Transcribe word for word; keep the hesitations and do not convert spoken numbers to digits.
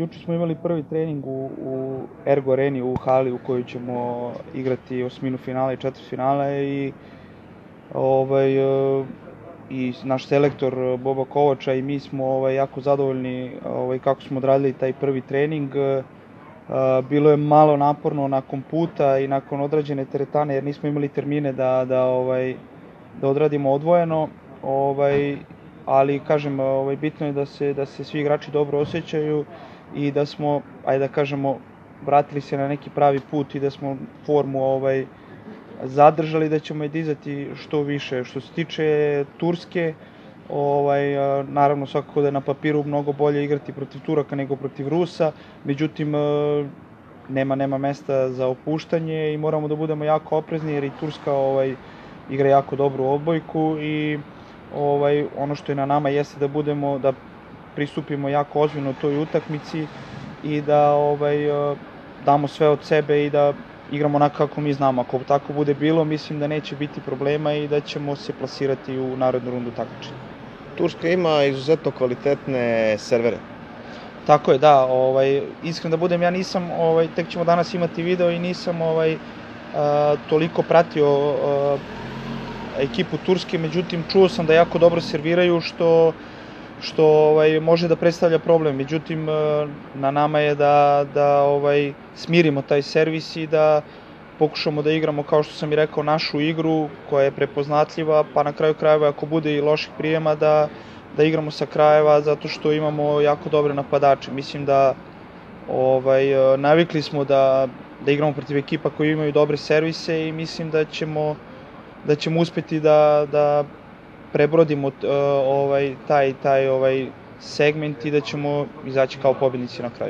Juče smo imali prvi trening u, u Ergo Areni u hali u kojoj ćemo igrati osminu finala i četvrtfinale i ovaj e, i naš selektor Boba Kovača i mi smo ovaj jako zadovoljni ovaj kako smo odradili taj prvi trening. E, bilo je malo naporno nakon puta i nakon odrađene teretane jer nismo imali termine da da ovaj da odradimo odvojeno. Ovaj ali kažem, ovaj bitno je da se da se svi igrači dobro osjećaju i da smo, ajde da kažemo, vratili se na neki pravi put i da smo formu ovaj zadržali, da ćemo je dizati što više. Što se tiče Turske, ovaj naravno svakako da je na papiru mnogo bolje igrati protiv Turaka nego protiv Rusa, međutim nema nema mesta za opuštanje i moramo da budemo jako oprezni jer i Turska ovaj igra jako dobru odbojku i ovaj ono što je na nama jeste da budemo da pristupimo jako ozbiljno toj utakmici i da ovaj damo sve od sebe i da igramo onako kako mi znamo. Ako tako bude bilo, mislim da neće biti problema i da ćemo se plasirati u narednu rundu takmičenja. Turska ima izuzetno kvalitetne servere. Tako je, da, ovaj iskreno da budem, ja nisam ovaj tek ćemo danas imati video i nisam ovaj a, toliko pratio a, ekipu Turske, međutim čuo sam da jako dobro serviraju što što ovaj može da predstavlja problem. Međutim na nama je da da ovaj smirimo taj servis i da pokušamo da igramo, kao što sam i rekao, našu igru koja je prepoznatljiva, pa na kraju krajeva ako bude i loših prijema da da igramo sa krajeva zato što imamo jako dobre napadače. Mislim da ovaj navikli smo da da igramo protiv ekipa koji imaju dobre servise i mislim da ćemo da ćemo uspeti da da prebrodimo uh, ovaj taj taj ovaj segment i da ćemo izaći kao pobednici na kraju.